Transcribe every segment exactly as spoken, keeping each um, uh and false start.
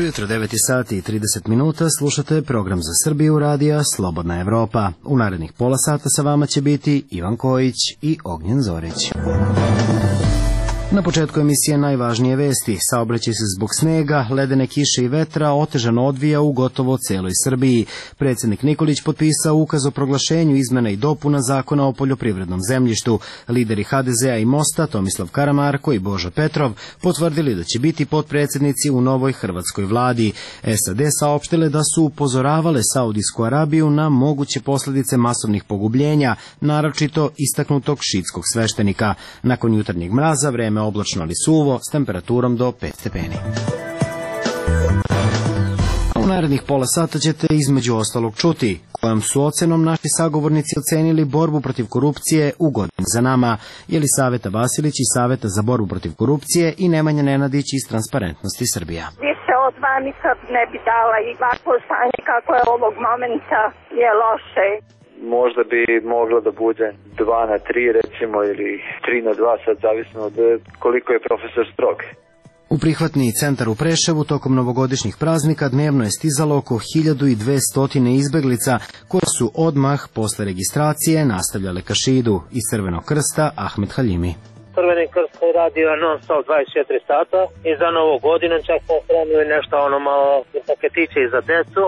Dobro jutro, devet sati i trideset minuta, slušate program za Srbiju radija Slobodna Evropa. U narednih pola sata sa vama će biti Ivan Kojić i Ognjen Zorić. Na početku emisije najvažnije vesti. Saobraćaj se zbog snega, ledene kiše i vetra otežano odvija u gotovo celoj Srbiji. Predsjednik Nikolić potpisao ukaz o proglašenju izmena i dopuna zakona o poljoprivrednom zemljištu. Lideri ha de zea i Mosta, Tomislav Karamarko i Božo Petrov, potvrdili da će biti potpredsjednici u novoj hrvatskoj vladi. es a de saopštile da su upozoravale Saudijsku Arabiju na moguće posljedice masovnih pogubljenja, naročito istaknutog šiitskog sveštenika. Nakon jutarnjeg mraza vreme oblačno ali suvo s temperaturom do pet stepeni. U narednih pola sata ćete između ostalog čuti kojom su ocenom naši sagovornici ocenili borbu protiv korupcije u godini za nama. Jelisaveta Vasilić iz Saveta za borbu protiv korupcije i Nemanja Nenadić iz Transparentnosti Srbija. Više od dva nikad ne bi dala i ovako stanje kako je ovog momenta je loše. Možda bi moglo da bude dva na tri recimo ili tri na dva, sad zavisno od koliko je profesor strog. U prihvatni centar u Preševu tokom novogodišnjih praznika dnevno je stizalo oko hiljadu dvesta izbeglica koje su odmah posle registracije nastavljale ka šidu. Iz Crvenog krsta Ahmed Haljimi. Crveni krst koji radio non stop dvadeset četiri sata i za novu godinu čak smo spremili nešto ono malo paketiće i za decu.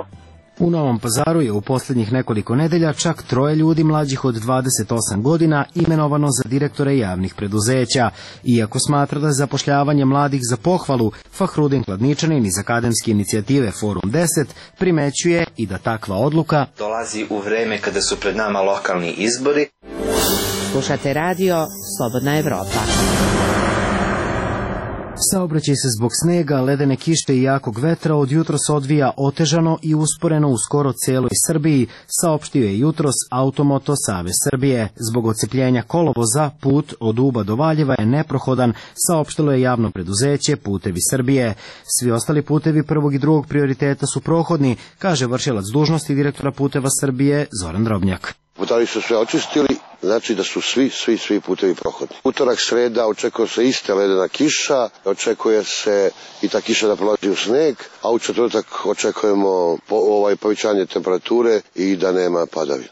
U Novom Pazaru je u posljednjih nekoliko nedelja čak troje ljudi mlađih od dvadeset osam godina imenovano za direktore javnih preduzeća. Iako smatra da je zapošljavanje mladih za pohvalu, Fahrudin Kladničanin iz akademske inicijative Forum deset primećuje i da takva odluka dolazi u vreme kada su pred nama lokalni izbori. Slušate radio Slobodna Evropa. Saobraćaj se zbog snega, ledene kiše i jakog vetra od jutros odvija otežano i usporeno u skoro celoj Srbiji, saopštio je jutros Automoto Savez Srbije. Zbog ocepljenja kolovoza, put od Uba do Valjeva je neprohodan, saopštilo je javno preduzeće Putevi Srbije. Svi ostali putevi prvog i drugog prioriteta su prohodni, kaže vršilac dužnosti direktora Puteva Srbije Zoran Drobnjak. Putevi su sve očistili, znači da su svi, svi, svi putevi prohodni. Utorak, sreda, očekuje se iste ledena kiša, očekuje se i ta kiša da prolazi u sneg, a u četvrtak očekujemo po, ovaj, povećanje temperature i da nema padavina.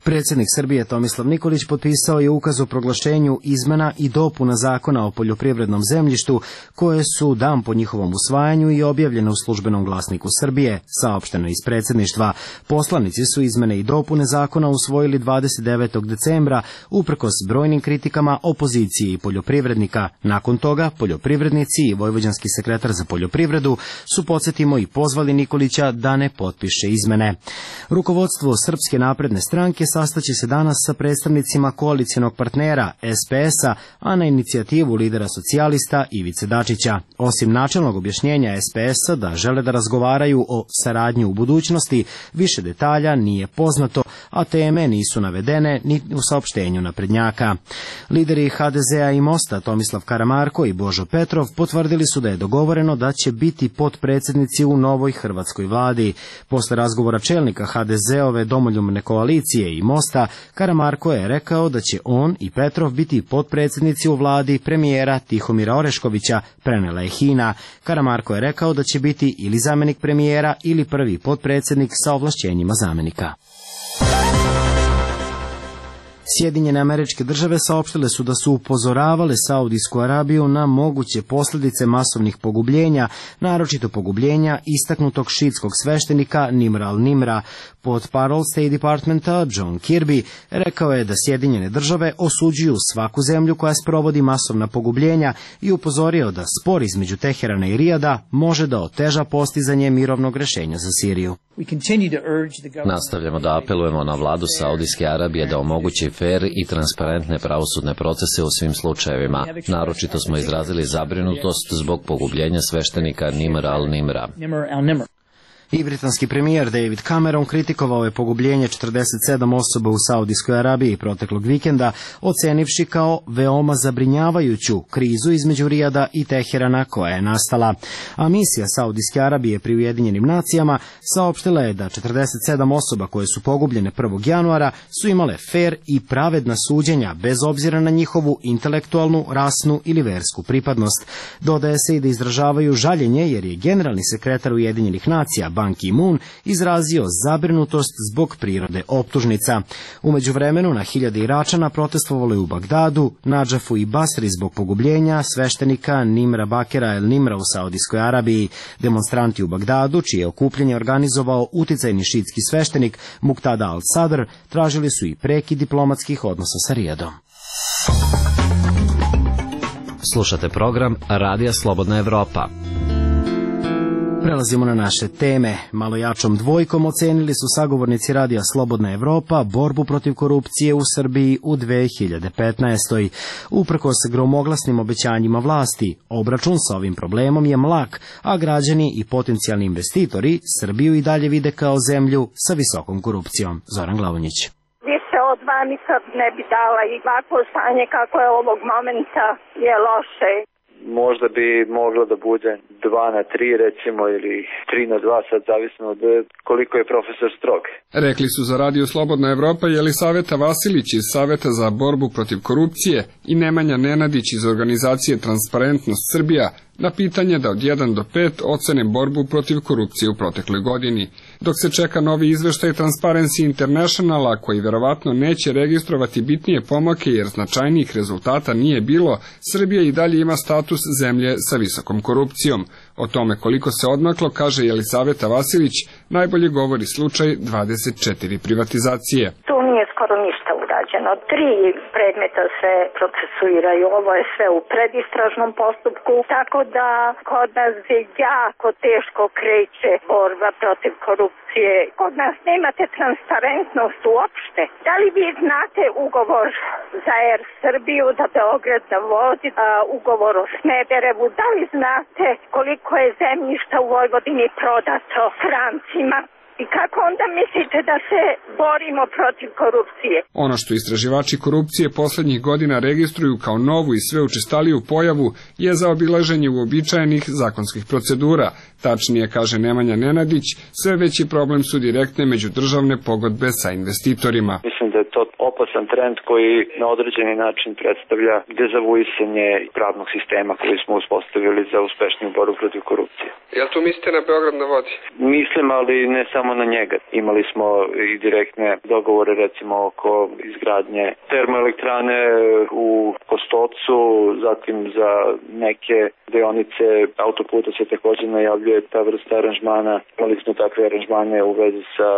Predsjednik Srbije Tomislav Nikolić potpisao je ukaz o proglašenju izmena i dopuna zakona o poljoprivrednom zemljištu, koje su dan po njihovom usvajanju i objavljene u Službenom glasniku Srbije, saopšteno iz predsjedništva. Poslanici su izmene i dopune zakona usvojili dvadeset devetog decembra, uprkos brojnim kritikama opozicije i poljoprivrednika. Nakon toga, poljoprivrednici i vojvođanski sekretar za poljoprivredu su, podsjetimo, i pozvali Nikolića da ne potpiše izmene. Rukovodstvo Srpske napredne stranke sastaće se danas sa predstavnicima koalicijonog partnera es pe es-a, a na inicijativu lidera socijalista Ivice Dačića. Osim načelnog objašnjenja es pe es-a da žele da razgovaraju o saradnji u budućnosti, više detalja nije poznato, a teme nisu navedene ni u saopštenju naprednjaka. Lideri ha de zea i Mosta, Tomislav Karamarko i Božo Petrov, potvrdili su da je dogovoreno da će biti potpredsjednici u novoj hrvatskoj vladi. Posle razgovora čelnika ha de zeove domoljubne koalicije i Mosta, Karamarko je rekao da će on i Petrov biti potpredsjednici u vladi premijera Tihomira Oreškovića, prenela je Hina. Karamarko je rekao da će biti ili zamenik premijera ili prvi potpredsjednik sa ovlašćenjima zamenika. Sjedinjene Američke Države saopštile su da su upozoravale Saudijsku Arabiju na moguće posljedice masovnih pogubljenja, naročito pogubljenja istaknutog šiitskog sveštenika Nimra al-Nimra. Portparol State Departmenta John Kirby rekao je da Sjedinjene Države osuđuju svaku zemlju koja sprovodi masovna pogubljenja i upozorio da spor između Teherana i Rijada može da oteža postizanje mirovnog rješenja za Siriju. Nastavljamo da apelujemo na vladu Saudijske Arabije da omogući fer i transparentne pravosudne procese u svim slučajevima. Naročito smo izrazili zabrinutost zbog pogubljenja sveštenika Nimra al-Nimra. I britanski premijer David Cameron kritikovao je pogubljenje četrdeset sedam osoba u Saudijskoj Arabiji proteklog vikenda, ocenivši kao veoma zabrinjavajuću krizu između Rijada i Teherana koja je nastala. A misija Saudijske Arabije pri Ujedinjenim nacijama saopštila je da četrdeset sedam osoba koje su pogubljene prvog januara su imale fer i pravedna suđenja bez obzira na njihovu intelektualnu, rasnu ili versku pripadnost. Dodaje se i da izražavaju žaljenje jer je generalni sekretar Ujedinjenih nacija Ban Ki-moon izrazio zabrinutost zbog prirode optužnica. U međuvremenu na hiljade Iračana protestovalo je u Bagdadu, Nadžafu i Basri zbog pogubljenja sveštenika Nimra Bakera el Nimra u Saudijskoj Arabiji. Demonstranti u Bagdadu, čije okupljenje organizovao uticajni šiitski sveštenik Muqtada al-Sadr, tražili su i prekid diplomatskih odnosa sa Rijadom. Slušate program Radija Slobodna Evropa. Prelazimo na naše teme. Malo jačom dvojkom ocenili su sagovornici Radija Slobodna Evropa borbu protiv korupcije u Srbiji u dve hiljade petnaestoj. Uprkos gromoglasnim obećanjima vlasti, obračun sa ovim problemom je mlak, a građani i potencijalni investitori Srbiju i dalje vide kao zemlju sa visokom korupcijom. Zoran Glavonjić. Više od dva nikad ne bi dala i ovako stanje kako je ovog momenta je loše. Možda bi moglo da bude dva na tri recimo ili tri na dva, sad zavisno od koliko je profesor strog. Rekli su za Radio Slobodna Evropa Jelisaveta Vasilić iz Saveta za borbu protiv korupcije i Nemanja Nenadić iz organizacije Transparentnost Srbija na pitanje da od jedan do pet ocene borbu protiv korupcije u protekloj godini. Dok se čeka novi izveštaj Transparency Internationala, koji verovatno neće registrovati bitnije pomake jer značajnijih rezultata nije bilo, Srbija i dalje ima status zemlje sa visokom korupcijom. O tome koliko se odmaklo, kaže Jelisaveta Vasilić, najbolje govori slučaj dvadeset četiri privatizacije. Tu nije skoro ništa urađeno. Tri predmeta se procesuiraju, ovo je sve u predistražnom postupku, tako da kod nas je jako teško kreće borba protiv korupcije. Kod nas nemate transparentnost uopšte. Da li vi znate ugovor za Er Srbiju, da Beograd navodi, ugovor o Smederevu, da li znate koliko je zemljišta u Vojvodini prodato strancima? I kako onda mislite da se borimo protiv korupcije? Ono što istraživači korupcije poslednjih godina registruju kao novu i sve učestaliju pojavu je zaobilaženje uobičajenih zakonskih procedura. Tačnije, kaže Nemanja Nenadić, sve veći problem su direktne međudržavne pogodbe sa investitorima. Mislim da je to opasan trend koji na određeni način predstavlja dezavuisanje pravnog sistema koji smo uspostavili za uspešniju borbu protiv korupcije. Jel tu mislite na Beograd na vodi? Mislim, ali ne samo na njega. Imali smo i direktne dogovore recimo oko izgradnje termoelektrane u Kostolcu, zatim za neke deonice autoputa se također najavljuje ta vrsta aranžmana. Imali smo takve aranžmane u vezi sa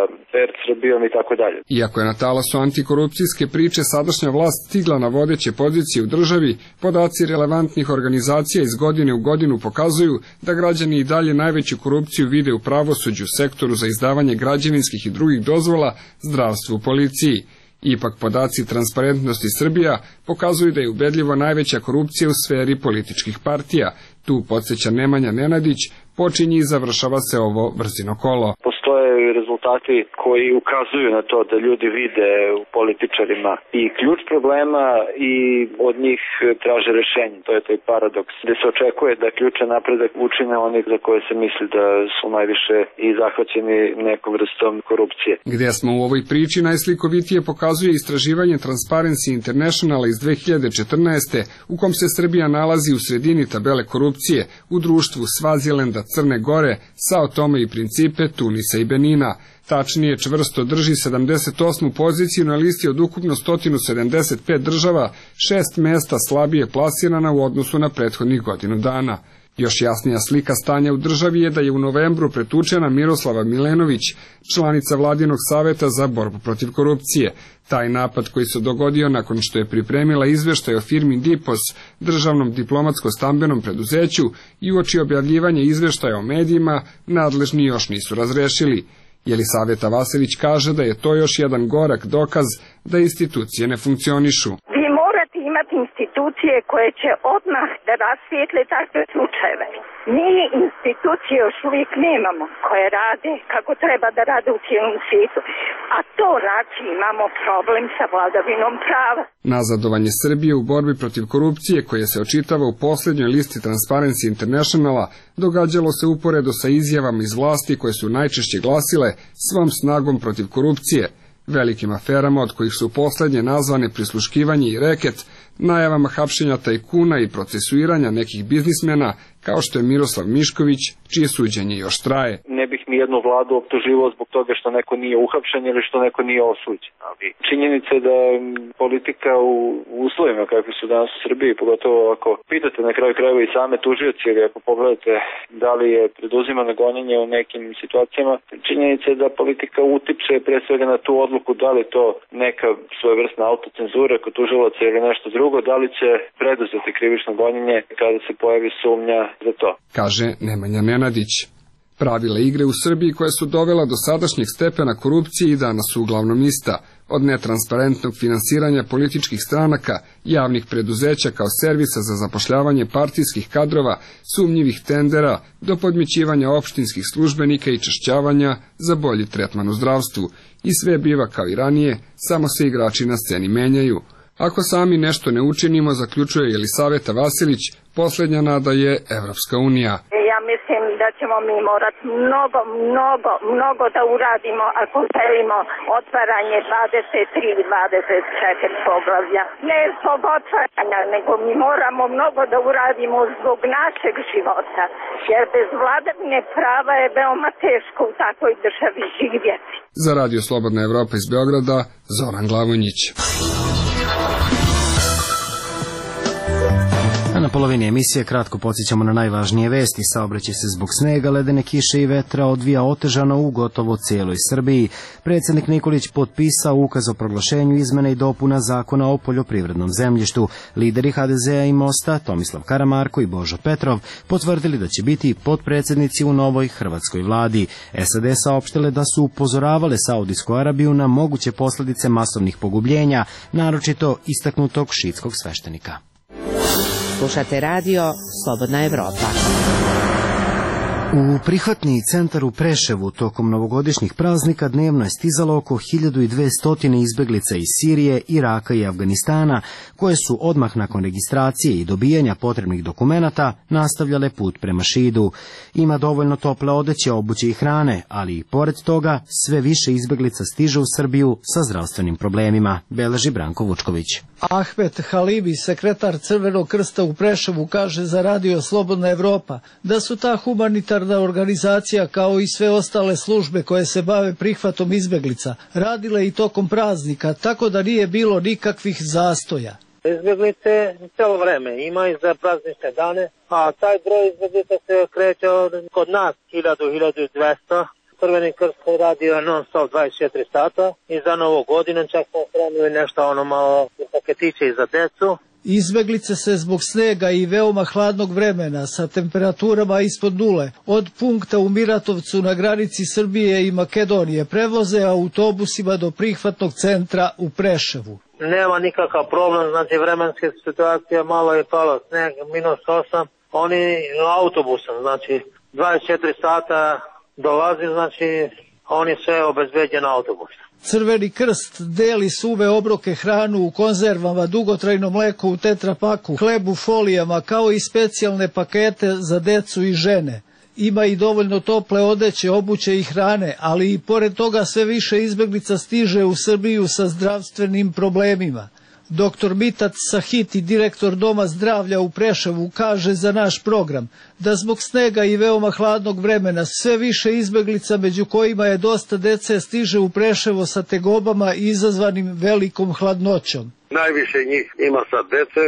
Er Srbijom i tako dalje. Iako je na talasu antikorupcijske priče sadašnja vlast stigla na vodeće pozicije u državi, podaci relevantnih organizacija iz godine u godinu pokazuju da građani i dalje najveću korupciju vide u pravosuđu, sektoru za izdavanje građevinskih i drugih dozvola, zdravstvu, policiji. Ipak podaci Transparentnosti Srbija pokazuju da je ubedljivo najveća korupcija u sferi političkih partija. Tu, podsjeća Nemanja Nenadić, počinje i završava se ovo brzino kolo. Postoje rezultati koji ukazuju na to da ljudi vide u političarima i ključ problema i od njih traže rešenje. To je taj paradoks gde se očekuje da ključan napredak učine onih za koje se misli da su najviše i zahvaćeni nekom vrstom korupcije. Gde smo u ovoj priči najslikovitije pokazuje istraživanje Transparency Internationala iz dve hiljade četrnaeste. u kom se Srbija nalazi u sredini tabele korupcije u društvu Svazilenda, Crne Gore, Sao Tome i Principe, Tunisa i Benina. Tačnije, čvrsto drži sedamdeset osmu poziciju na listi od ukupno sto sedamdeset pet država, šest mesta slabije plasirana u odnosu na prethodnih godinu dana. Još jasnija slika stanja u državi je da je u novembru pretučena Miroslava Milenović, članica Vladinog saveta za borbu protiv korupcije. Taj napad koji se dogodio nakon što je pripremila izveštaj o firmi Dipos, državnom diplomatsko-stambenom preduzeću, i uoči objavljivanja izveštaja o medijima, nadležni još nisu razrešili. Jelisaveta Vasilić kaže da je to još jedan gorak dokaz da institucije ne funkcionišu. Vi morate imati institucije institucije koje će odmah da rasvijetle takve slučajeve. Mi institucije još uvijek nemamo koje rade kako treba da rade u cijelom svijetu, a to znači imamo problem sa vladavinom prava. Nazadovanje Srbije u borbi protiv korupcije, koje se očitava u posljednjoj listi Transparency Internationala, događalo se uporedo sa izjavama iz vlasti koje su najčešće glasile svom snagom protiv korupcije, velikim aferama od kojih su posljednje nazvane prisluškivanje i reket, najavama hapšenja tajkuna i procesuiranja nekih biznismena, kao što je Miroslav Mišković, čije suđenje još traje. Ne bih ni jednu vladu optuživao zbog toga što neko nije uhapšen ili što neko nije osuđen. Ali činjenica je da politika u uslovima kakvi su danas u Srbiji, pogotovo ako pitate na kraju krajeva i same tužioci, ili ako pogledate da li je preduzimano gonjenje u nekim situacijama, činjenica je da politika utiče pre svega na tu odluku da li to neka svojevrsna autocenzura kod tužilaca ili nešto drugo, da li će preduzeti krivično gonjenje kada se pojavi sumnja za to. Kaže Nemanja Nenadić. Pravila igre u Srbiji koja su dovela do sadašnjeg stepena korupcije i danas su uglavnom ista, od netransparentnog finansiranja političkih stranaka, javnih preduzeća kao servisa za zapošljavanje partijskih kadrova, sumnjivih tendera, do podmićivanja opštinskih službenika i čašćavanja za bolji tretman u zdravstvu. I sve biva kao i ranije, samo se igrači na sceni menjaju. Ako sami nešto ne učinimo, zaključuje Jelisaveta Vasilić, posljednja nada je Evropska unija. Ja mislim da ćemo mi morati mnogo, mnogo, mnogo da uradimo ako želimo otvaranje dvadeset tri i dvadeset četiri poglavlja. Ne zbog otvaranja, nego mi moramo mnogo da uradimo zbog našeg života, jer bez vladavine prava je veoma teško u takvoj državi živjeti. Za Radio Slobodna Evropa iz Beograda, Zoran Glavonjić. A na polovini emisije kratko podsjećamo na najvažnije vesti. Saobraćaj se zbog snega, ledene kiše i vetra odvija otežano u gotovo cijeloj Srbiji. Predsjednik Nikolić potpisao ukaz o proglašenju izmena i dopuna zakona o poljoprivrednom zemljištu. Lideri ha de zea i Mosta, Tomislav Karamarko i Božo Petrov, potvrdili da će biti potpredsjednici u novoj hrvatskoj vladi. es a de saopštile da su upozoravale Saudijsku Arabiju na moguće posljedice masovnih pogubljenja, naročito istaknutog šiitskog sveštenika. Slušate radio Slobodna Evropa. U prihvatni centar u Preševu tokom novogodišnjih praznika dnevno je stizalo oko hiljadu dvesta izbeglica iz Sirije, Iraka i Afganistana, koje su odmah nakon registracije i dobijanja potrebnih dokumenata nastavljale put prema Šidu. Ima dovoljno tople odeće, obuće i hrane, ali i pored toga sve više izbeglica stiže u Srbiju sa zdravstvenim problemima, beleži Branko Vučković. Ahmet Halibi, sekretar Crvenog krsta u Preševu, kaže za radio Slobodna Evropa da su ta humanitarna organizacija kao i sve ostale službe koje se bave prihvatom izbeglica radile i tokom praznika, tako da nije bilo nikakvih zastoja. Izbeglice cijelo vreme ima i za praznične dane, a taj broj izbeglica se kreće kod nas hiljadu do hiljadu dvesta. Crveni krst radio non stop dvadeset četiri sata i za novu godinu čak smo spremili nešto ono malo paketiće i za decu. Izbeglice se zbog snega i veoma hladnog vremena sa temperaturama ispod nule od punkta u Miratovcu na granici Srbije i Makedonije prevoze autobusima do prihvatnog centra u Preševu. Nema nikakav problem, znači vremenska situacija, malo je palo sneg, minus osam, oni autobusom, znači dvadeset četiri sata dolazi, znači on je sve obezbeđen autobus. Crveni krst deli suve obroke, hranu u konzervama, dugotrajno mleko u tetrapaku, hleb u folijama, kao i specijalne pakete za decu i žene. Ima i dovoljno tople odeće, obuće i hrane, ali i pored toga sve više izbeglica stiže u Srbiju sa zdravstvenim problemima. Doktor Mitat Sahiti, direktor Doma zdravlja u Preševu, kaže za naš program da zbog snega i veoma hladnog vremena sve više izbeglica, među kojima je dosta dece, stiže u Preševo sa tegobama izazvanim velikom hladnoćom. Najviše njih ima sad dece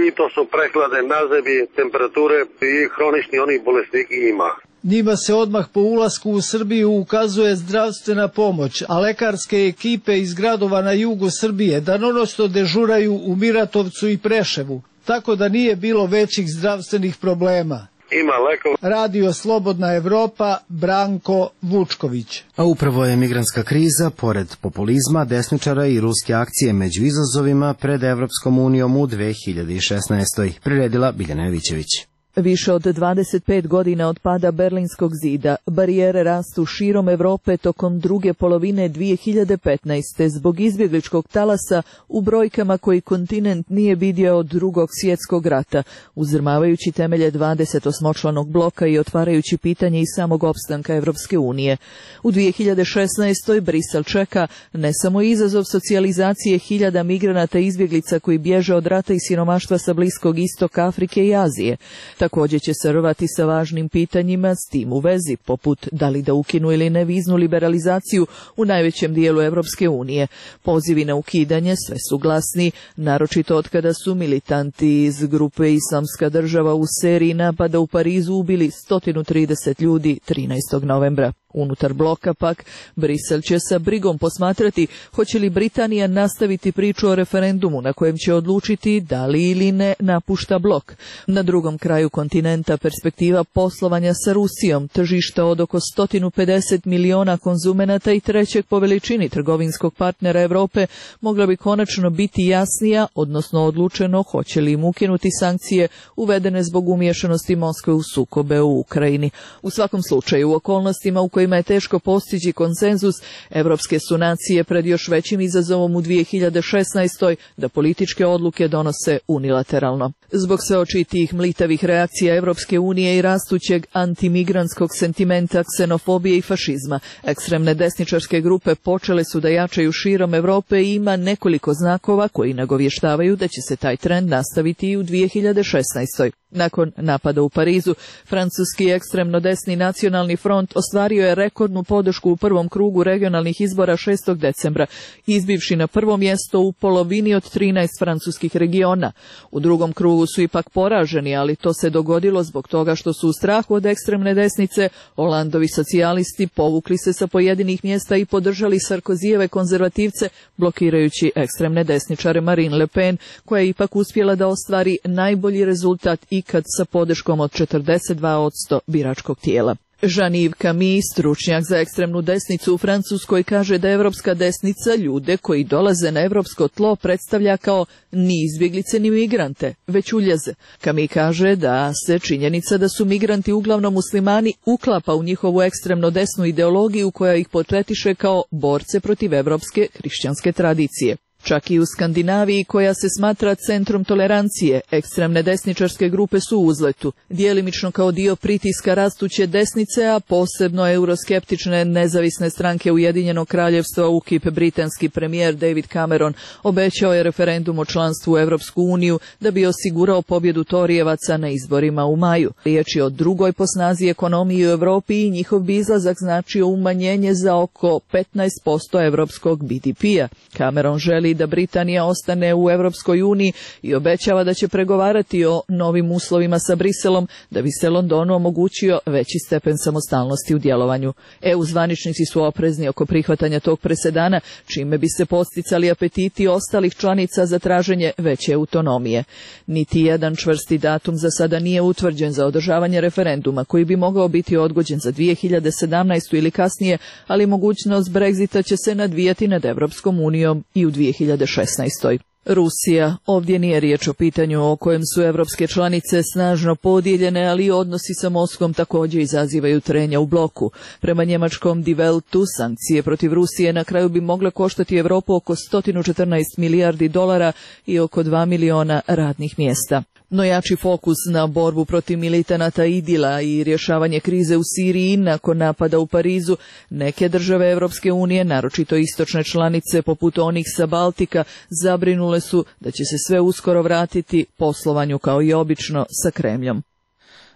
i to su prehlade, nazebi, temperature i hronični oni bolesniki ima. Njima se odmah po ulasku u Srbiju ukazuje zdravstvena pomoć, a lekarske ekipe iz gradova na jugu Srbije danonoćno dežuraju u Miratovcu i Preševu, tako da nije bilo većih zdravstvenih problema. ima lekova. Radio Slobodna Evropa, Branko Vučković. A upravo je migrantska kriza, pored populizma, desničara i ruske akcije među izazovima pred Evropskom unijom u dve hiljade šesnaestoj. Priredila Biljana Jovićević. Više od dvadeset pet godina od pada Berlinskog zida, barijere rastu širom Evrope tokom druge polovine dve hiljade petnaeste. zbog izbjegličkog talasa u brojkama koji kontinent nije vidio od drugog svjetskog rata, uzdrmavajući temelje dvadesetosmočlanog bloka i otvarajući pitanje i samog opstanka Evropske unije. U dve hiljade šesnaestoj. Brisel čeka ne samo izazov socijalizacije hiljada migranata i izbjeglica koji bježe od rata i siromaštva sa Bliskog istoka, Afrike i Azije. Također će se rvati sa važnim pitanjima s tim u vezi, poput da li da ukinu ili ne viznu liberalizaciju u najvećem dijelu Evropske unije. Pozivi na ukidanje sve su glasni, naročito od kada su militanti iz grupe Islamska država u seriji napada u Parizu ubili sto trideset ljudi trinaestog novembra. Unutar bloka pak, Brisel će sa brigom posmatrati hoće li Britanija nastaviti priču o referendumu na kojem će odlučiti da li ili ne napušta blok. Na drugom kraju kontinenta perspektiva poslovanja sa Rusijom, tržišta od oko sto pedeset miliona konzumenata i trećeg po veličini trgovinskog partnera Europe mogla bi konačno biti jasnija, odnosno odlučeno hoće li im ukinuti sankcije uvedene zbog umiješanosti Moskve u sukobe u Ukrajini. U svakom slučaju, u okolnostima u kojima je teško postići konsenzus, evropske su nacije pred još većim izazovom u dve hiljade šesnaestoj. da političke odluke donose unilateralno. Zbog sve očitijih mlitavih reakcija Evropske unije i rastućeg antimigrantskog sentimenta, ksenofobije i fašizma, ekstremne desničarske grupe počele su da jačaju širom Evrope i ima nekoliko znakova koji nagovještavaju da će se taj trend nastaviti i u dve hiljade šesnaestoj. Nakon napada u Parizu, francuski ekstremno desni nacionalni front ostvario je rekordnu podršku u prvom krugu regionalnih izbora šestog decembra, izbivši na prvo mjesto u polovini od trinaest francuskih regiona. U drugom krugu su ipak poraženi, ali to se dogodilo zbog toga što su u strahu od ekstremne desnice Holandovi socijalisti povukli se sa pojedinih mjesta i podržali Sarkozijeve konzervativce, blokirajući ekstremne desničare Marine Le Pen, koja je ipak uspjela da ostvari najbolji rezultat ikad sa podrškom od četrdeset dva posto biračkog tijela. Jean-Yves Camille, stručnjak za ekstremnu desnicu u Francuskoj, kaže da evropska desnica ljude koji dolaze na evropsko tlo predstavlja kao ni izbjeglice ni migrante, već uljeze. Camille kaže da se činjenica da su migranti uglavnom muslimani uklapa u njihovu ekstremno desnu ideologiju koja ih portretiše kao borce protiv evropske hrišćanske tradicije. Čak i u Skandinaviji, koja se smatra centrom tolerancije, ekstremne desničarske grupe su u uzletu, djelimično kao dio pritiska rastuće desnice, a posebno euroskeptične nezavisne stranke Ujedinjenog kraljevstva. U K I P britanski premijer David Cameron obećao je referendum o članstvu u Evropsku uniju da bi osigurao pobjedu Torijevaca na izborima u maju. Riječ je o drugoj po snazi ekonomiji u Europi i njihov bi izlazak značio umanjenje za oko petnaest posto evropskog B D P-a. Cameron želi da Britanija ostane u Evropskoj uniji i obećava da će pregovarati o novim uslovima sa Briselom da bi se Londonu omogućio veći stepen samostalnosti u djelovanju. E U zvaničnici su oprezni oko prihvatanja tog presedana, čime bi se posticali apetiti ostalih članica za traženje veće autonomije. Niti jedan čvrsti datum za sada nije utvrđen za održavanje referenduma, koji bi mogao biti odgođen za dve hiljade sedamnaestu ili kasnije, ali mogućnost Brexita će se nadvijati nad Evropskom unijom i u dve hiljade šesnaestoj. Rusija. Ovdje nije riječ o pitanju o kojem su evropske članice snažno podijeljene, ali odnosi sa Moskvom također izazivaju trenja u bloku. Prema njemačkom Die Weltu, sankcije protiv Rusije na kraju bi mogle koštati Europu oko sto četrnaest milijardi dolara i oko dva miliona radnih mjesta. No jači fokus na borbu protiv militanata Idila i rješavanje krize u Siriji nakon napada u Parizu, neke države Evropske unije, naročito istočne članice poput onih sa Baltika, zabrinule su da će se sve uskoro vratiti poslovanju kao i obično sa Kremljom.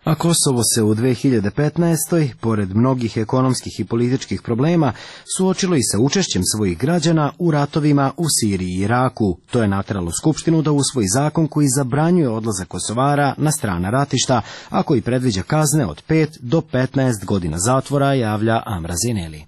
A Kosovo se u dve hiljade petnaestoj, pored mnogih ekonomskih i političkih problema, suočilo i sa učešćem svojih građana u ratovima u Siriji i Iraku. To je nateralo Skupštinu da usvoji zakon koji zabranjuje odlazak Kosovara na strana ratišta, a koji predviđa kazne od pet do petnaest godina zatvora, javlja Amra Zineli.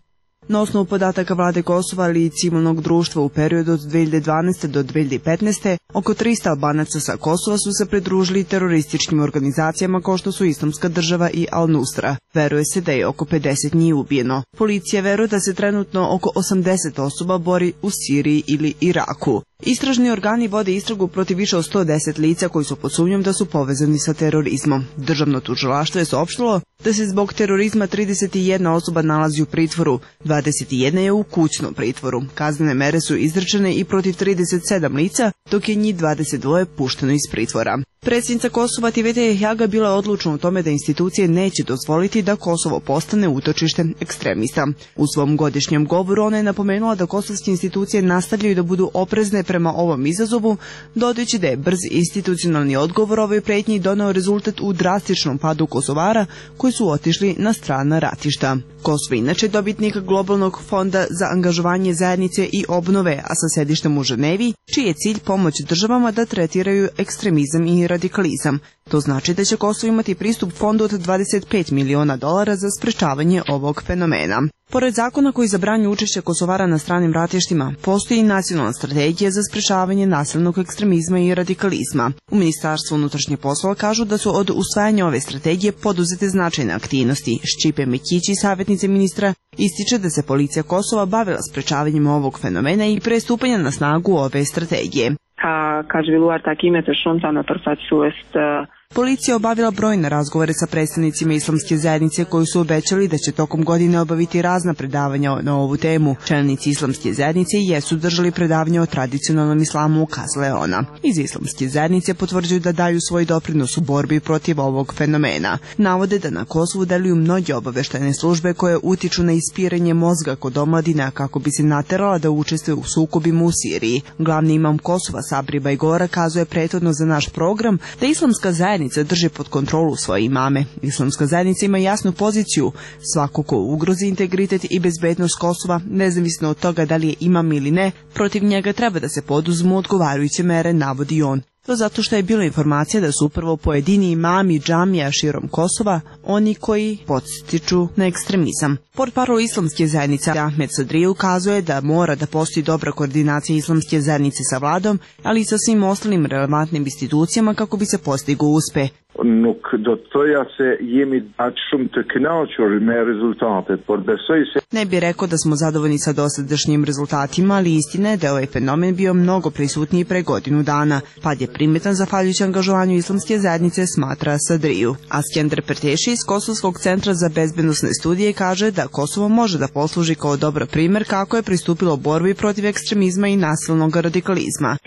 Na osnovu podataka vlade Kosova ali i civilnog društva u periodu od dve hiljade dvanaeste do dve hiljade petnaeste, Oko trista Albanaca sa Kosova su se pridružili terorističkim organizacijama kao što su Islamska država i Al-Nusra. Veruje se da je oko pedeset njih ubijeno. Policija veruje da se trenutno oko osamdeset osoba bori u Siriji ili Iraku. Istražni organi vode istragu protiv više od sto deset lica koji su pod sumnjom da su povezani sa terorizmom. Državno tužilaštvo je saopštilo da se zbog terorizma trideset jedna osoba nalazi u pritvoru, dvadeset jedna je u kućnom pritvoru. Kaznene mere su izrečene i protiv trideset sedam lica, dok je njih dvadeset dva pušteno iz pritvora. Predsjednica Kosova Tivete Jahjaga bila je odlučna u tome da institucije neće dozvoliti da Kosovo postane utočište ekstremista. U svom godišnjem govoru ona je napomenula da kosovske institucije nastavljaju da budu oprezne prema ovom izazovu, dodajući da je brz institucionalni odgovor ovoj pretnji doneo rezultat u drastičnom padu Kosovara koji su otišli na strana ratišta. Kosovo inače dobitnik globalnog fonda za angažovanje zajednice i obnove, a sa sedištem u Ženevi, čiji je cilj pomoć državama da tretiraju ekstremizam i radikalizam. To znači da će Kosovo imati pristup fondu od dvadeset pet miliona dolara za sprečavanje ovog fenomena. Pored zakona koji zabranju učešće Kosovara na stranim ratištima, postoji i nacionalna strategija za sprečavanje nasilnog ekstremizma i radikalizma. U Ministarstvu unutrašnjih poslova kažu da su od usvajanja ove strategije poduzete značajne aktivnosti. Šćipe Mekići, savjetnice ministra, ističe da se policija Kosova bavila sprečavanjem ovog fenomena i pre stupanja na snagu ove strategije. Policija obavila brojne razgovore sa predstavnicima islamske zajednice koji su obećali da će tokom godine obaviti razna predavanja na ovu temu. Čelnici islamske zajednice jesu držali predavanja o tradicionalnom islamu u Kazleona. Iz islamske zajednice potvrđuju da daju svoj doprinos u borbi protiv ovog fenomena. Navode da na Kosovu deluju mnoge obaveštajne službe koje utiču na ispiranje mozga kod omladina kako bi se naterala da učestvuje u sukobima u Siriji. Glavni imam Kosova Sabri Bajgora kazuje prethodno za naš program da islamska zajednica drži pod kontrolu svoje imame. Islamska zajednica ima jasnu poziciju. Svako ko ugrozi integritet i bezbednost Kosova, nezavisno od toga da li je imam ili ne, protiv njega treba da se poduzmu odgovarajuće mere, navodi on. To zato što je bila informacija da su upravo pojedini imami džamija širom Kosova oni koji podstiču na ekstremizam. Portparol islamske zajednice Ahmed Sadri ukazuje da mora da postoji dobra koordinacija islamske zajednice sa vladom, ali i sa svim ostalim relevantnim institucijama kako bi se postigao uspeh. Nuk do të thoja se jemi aq shumë të kënaqur me rezultatet, por besoj se... Ne bi rekao da smo zadovoljni sa dosadašnjim rezultatima, ali istina je da je ovaj fenomen bio mnogo prisutniji pre godinu dana. Pad je primetan zahvaljujući angažovanju islamske zajednice, smatra Sadriju. A Skender Perteši iz Kosovskog centra za bezbednosne studije kaže da Kosovo može da posluži kao dobar primer kako je pristupilo borbi protiv ekstremizma i nasilnog radikalizma.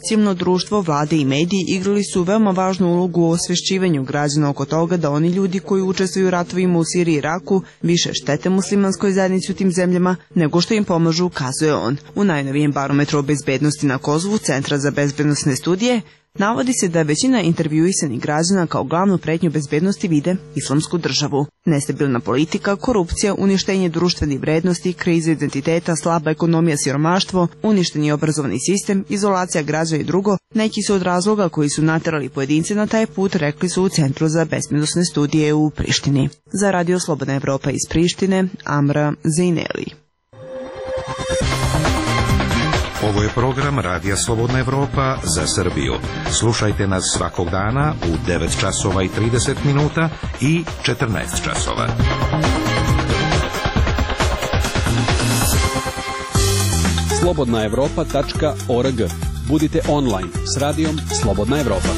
Civilno društvo, vlade i mediji igrali su veoma važnu ulogu u osvešćivanju građana oko toga da oni ljudi koji učestvuju u ratovima u Siriji i Iraku više štete muslimanskoj zajednici u tim zemljama nego što im pomažu, kazuje on. U najnovijem barometru o bezbednosti na Kosovu Centra za bezbednosne studije navodi se da većina intervjuisanih građana kao glavnu pretnju bezbednosti vide islamsku državu. Nestabilna politika, korupcija, uništenje društvenih vrednosti, kriza identiteta, slaba ekonomija, siromaštvo, uništeni obrazovni sistem, izolacija građana i drugo, neki su od razloga koji su naterali pojedince na taj put, rekli su u Centru za bezbednosne studije u Prištini. Za Radio Slobodna Evropa iz Prištine, Amra Zejneli. Ovo je program Radija Slobodna Evropa za Srbiju. Slušajte nas svakog dana u devet časova i trideset minuta i četrnaest časova. slobodna evropa tačka org. Budite online s radijom Slobodna Evropa.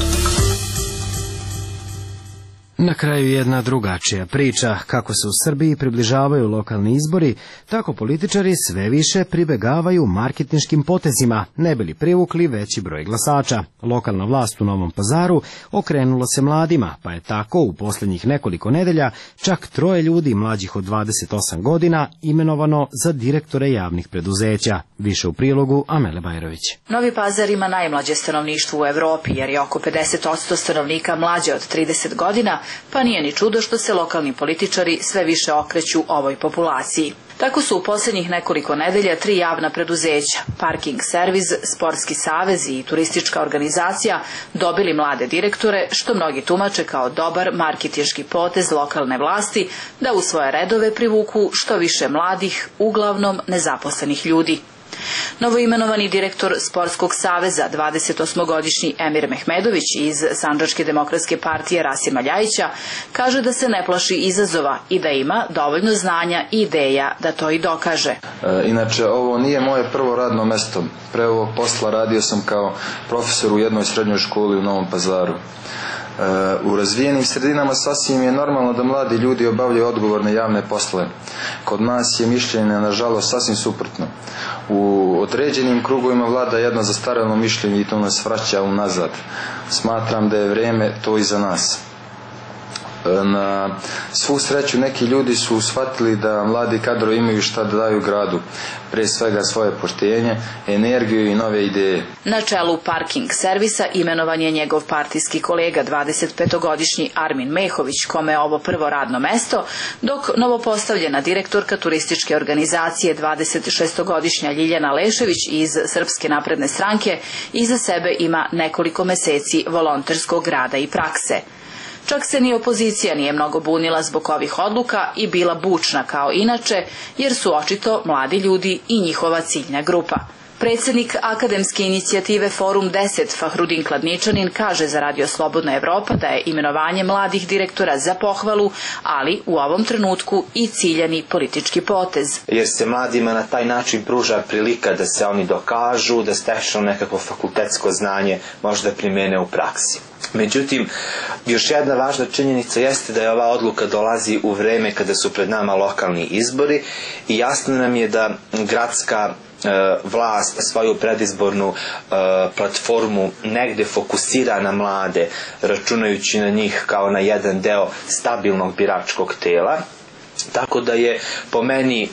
Na kraju jedna drugačija priča. Kako se u Srbiji približavaju lokalni izbori, tako političari sve više pribegavaju marketinškim potezima, ne bi li privukli veći broj glasača. Lokalna vlast u Novom Pazaru okrenula se mladima, pa je tako u posljednjih nekoliko nedelja čak troje ljudi mlađih od dvadeset osam godina imenovano za direktore javnih preduzeća. Više u prilogu Amele Bajrović. Novi Pazar ima najmlađe stanovništvo u Evropi, jer je oko pedeset posto stanovnika mlađe od trideset godina, pa nije ni čudo što se lokalni političari sve više okreću ovoj populaciji. Tako su u posljednjih nekoliko nedelja tri javna preduzeća, Parking servis, Sportski savez i Turistička organizacija dobili mlade direktore, što mnogi tumače kao dobar marketinški potez lokalne vlasti da u svoje redove privuku što više mladih, uglavnom nezaposlenih ljudi. Novoimenovani direktor Sportskog saveza, dvadesetosmogodišnji Emir Mehmedović iz Sandžačke demokratske partije Rasima Ljajića, kaže da se ne plaši izazova i da ima dovoljno znanja i ideja da to i dokaže. E, inače, ovo nije moje prvo radno mesto. Pre ovog posla radio sam kao profesor u jednoj srednjoj školi u Novom Pazaru. U razvijenim sredinama sasvim je normalno da mladi ljudi obavljaju odgovorne javne poslove. Kod nas je mišljenje, nažalost, sasvim suprotno. U određenim krugovima vlada jedno zastarelo mišljenje i to nas vraća unazad. Smatram da je vrijeme to i za nas. Na svu sreću neki ljudi su shvatili da mladi kadrovi imaju šta da daju gradu, pre svega svoje poštenje, energiju i nove ideje. Na čelu Parking servisa imenovan je njegov partijski kolega dvadesetpetogodišnji Armin Mehović, kome je ovo prvo radno mesto, dok novopostavljena direktorka Turističke organizacije dvadesetšestogodišnja Ljiljana Lešević iz Srpske napredne stranke iza sebe ima nekoliko meseci volonterskog rada i prakse. Čak se ni opozicija nije mnogo bunila zbog ovih odluka i bila bučna kao inače, jer su očito mladi ljudi i njihova ciljna grupa. Predsjednik akademske inicijative Forum deset Fahrudin Kladničanin kaže za Radio Slobodna Evropa da je imenovanje mladih direktora za pohvalu, ali u ovom trenutku i ciljani politički potez. Jer se mladima na taj način pruža prilika da se oni dokažu, da steknu nekakvo fakultetsko znanje, možda primene u praksi. Međutim, još jedna važna činjenica jeste da je ova odluka dolazi u vreme kada su pred nama lokalni izbori i jasno nam je da gradska vlast svoju predizbornu platformu negde fokusira na mlade, računajući na njih kao na jedan deo stabilnog biračkog tela. Tako da je po meni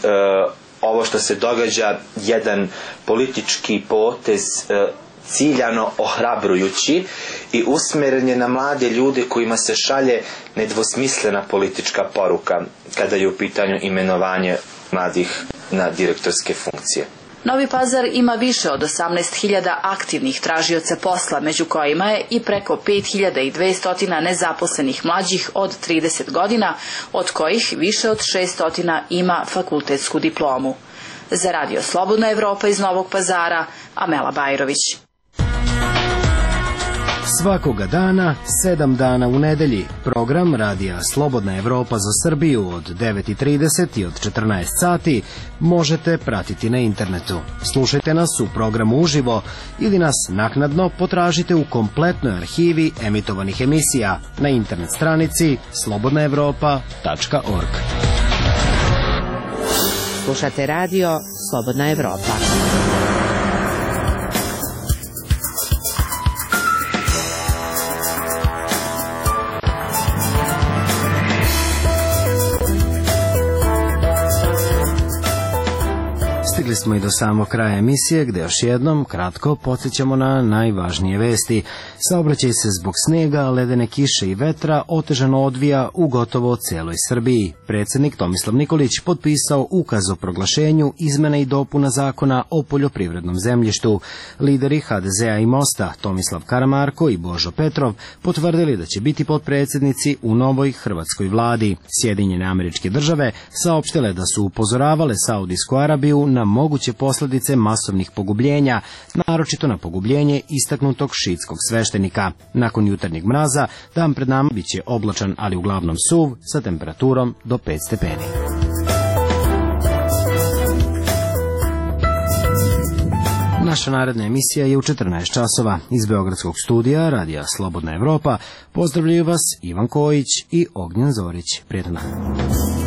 ovo što se događa jedan politički potez ciljano ohrabrujući i usmjeren je na mlade ljude kojima se šalje nedvosmislena politička poruka kada je u pitanju imenovanje mladih na direktorske funkcije. Novi Pazar ima više od osamnaest hiljada aktivnih tražioca posla, među kojima je i preko pet hiljada dvesta nezaposlenih mlađih od trideset godina, od kojih više od šeststo ima fakultetsku diplomu. Za Radio Slobodna Evropa iz Novog Pazara, Amela Bajrović. Svakoga dana, sedam dana u nedelji, program Radija Slobodna Evropa za Srbiju od devet i trideset i od četrnaest sati možete pratiti na internetu. Slušajte nas u programu uživo ili nas naknadno potražite u kompletnoj arhivi emitovanih emisija na internet stranici slobodna evropa tačka org. Slušate radio Slobodna Evropa. Stigli smo i do samog kraja emisije, gde još jednom kratko podsjećamo na najvažnije vesti. Saobraćaj se zbog snega, ledene kiše i vetra otežano odvija u gotovo cijeloj Srbiji. Predsjednik Tomislav Nikolić potpisao ukaz o proglašenju izmena i dopuna zakona o poljoprivrednom zemljištu. Lideri ha de zea i Mosta, Tomislav Karamarko i Božo Petrov, potvrdili da će biti potpredsjednici u novoj hrvatskoj vladi. Sjedinjene Američke Države saopštile da su upozoravale Saudijsku Arabiju na moguće posljedice masovnih pogubljenja, naročito na pogubljenje istaknutog šiitskog sveštenika. Nakon jutarnjeg mraza, dan pred nama biće oblačan, ali uglavnom suv, sa temperaturom do pet stepeni. Naša naredna emisija je u četrnaest časova. Iz Beogradskog studija Radija Slobodna Evropa pozdravljaju vas Ivan Kojić i Ognjen Zorić. Prijetan dan.